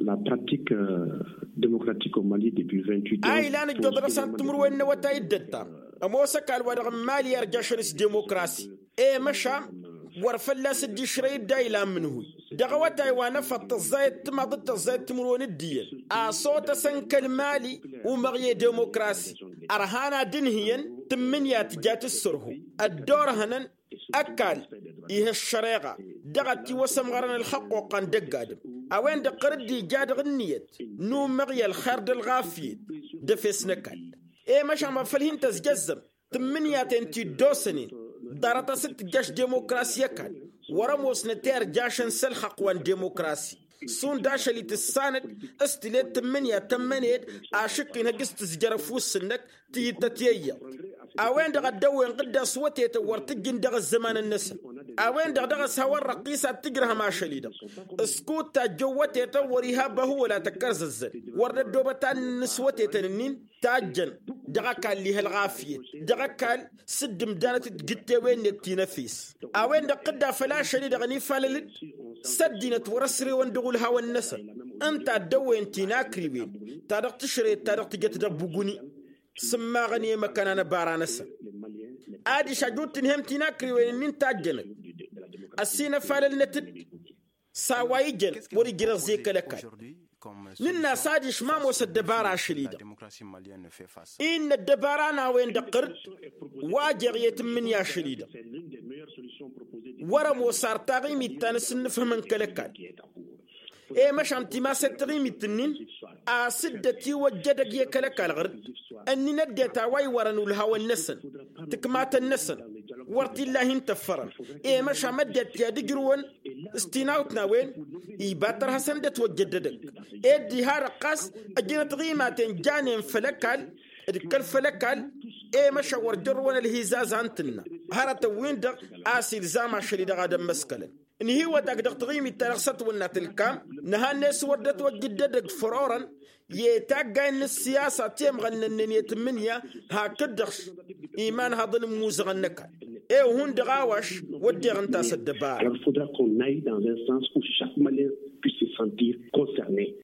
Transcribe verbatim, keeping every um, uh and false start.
La pratique, démocratique au mali depuis vingt-huit ans. A ilan ǝjjoḍ dăɣ-săn timǝrwen n-awătay dd-ăttam, ămoos ăkall wa-dăɣ n-mali irjašăn s-demokrasi. I-măšan wăr fălla-s dd-išrăy dd-a ilan mǝnhǝy dăɣ-awătay wa n-efăḍ tăẓẓayăt timaḍ d-tăẓẓayăt timǝrwen d-iyyăn, a sotăsăn kăl-mali umăɣ i-demokrasi. Ărhan ad-ǝnhǝyăn tǝmmǝnǝya tǝja tǝssărhu ăddoorhănăn ăkall ih' ăššăreɣa dăɣ-ătiwăsămɣărăn ălxăqquqqa n-dăgg-adǝm. A-wen-dăɣ ɣur-dd-ija dăɣ-ǝnniyăt n-umăɣ i-ălxer d-ălɣafyăt d-efes n-ăkall. I-măšan wa făl hin-tăzjăzzăm tǝmmǝnǝya-ten ti dd-osănen ḍarăt a-s dd-tǝjjăš demokrasi ăkall wăr-ămoosnăt i-irjašăn s-ălxăqq wa n-demokrasi. Šund ašăl-i tǝssanăd s-tǝled tǝmmǝnǝya tămmăned ašǝkk-in hăjj s-tǝzjăr ăfuss-năk tǝyyǝttăt i-iyyăḍ. A-wen-dăɣ ăddăwwen ɣǝdda s-wătetăn wăr t-ǝjjǝn dăɣ-ăzzămanăn-năsăn. A-wen-dăɣ dăɣ-s hawăn-răqqis ad-tǝjrăhăm ašăl-i-dăɣ s-kud tajjăn wătetăn wăr-iha băhu wăla tăkkărzăzzăn. Wăr dd-ăddoobăt ad-nǝnnǝs wătetăn-ǝnnin tajjăn dăɣ-ăkall ih' ălɣafyăt dăɣ-ăkall s-dd-ǝmdanăt d-tijǝttewen-net ti n-efes. A-wen-dăɣ ɣǝdda făll-ašăl-i-dăɣ ănifalăl-dd s-ăddinăt wăr-ăsrewăn dăɣ-ulhawăn-năsăn. Ǝnta ăddăwwen ti n-akriwen ta dăɣ-tǝšrăyăt ta dăɣ-tǝjăt dăɣ-buguni s-ǝmmaɣăn i-măkkăna n-ăbara-năsăn. Adiš ajut tǝnhăm ti n-akriwen-ǝnnin tajjănăt ăsinăfalălnăt-dd s-a-wa ijăn wăr-ijrăẓ i-kăl-ăkall. Nǝnn'-as adiš ma ămoos ăddăbara ašăl-i-dăɣ. Innă ăddăbara n-a-wen-dăɣ ɣur-dd wa jeɣ i-tǝmmǝnǝya ašăl-i-dăɣ. Wăr-ămoos ar taɣimit ta n-asǝnnǝfhǝmăn kăl-ăkall. I-măšan timaset taɣimit-ǝnnin a-s dd-ătiwăjja edăgg i-kăl-ăkall ɣur-dd. Ǝnnin ăddinăt a-wa iwărăn ulhawăn-năsăn tǝkmatăn-năsăn wăr t-illa hin-tăffărăn. I-măšan ăddinăt i-ad-ǝjrǝwăn s-tinawt n-a-wen iba tărha săn dd-ătwăjjăd edăgg ed diha-dăɣ ɣas ăjnăt ɣimaten janen făll-ăkall d-kăl-făll-ăkall. I-măšan wăr jărrǝwăn ălhizazan tǝnna hărătăn-win-dăɣ a-s ilzam ašăl-i-dăɣ ad-ămmăskălăn. Ǝnhǝywăt-ak dăɣ-taɣimit-ta-dăɣ s-ătwănnat ǝlkam nǝha-net wăr dd-ătwăjjǝd edăgg fărorăn i-taggay n-ǝssiyasa ti ămɣănnănnen i-tǝmmǝnǝya hakd-dăɣ imanhăḍăn n-imuzăɣăn n-ăkall. I-wi hundăɣ a-wa š-wădden ǝnta a-s ăddăbara. Alors il faudra qu'on aille dans un sens où chaque malien puisse se sentir concerné.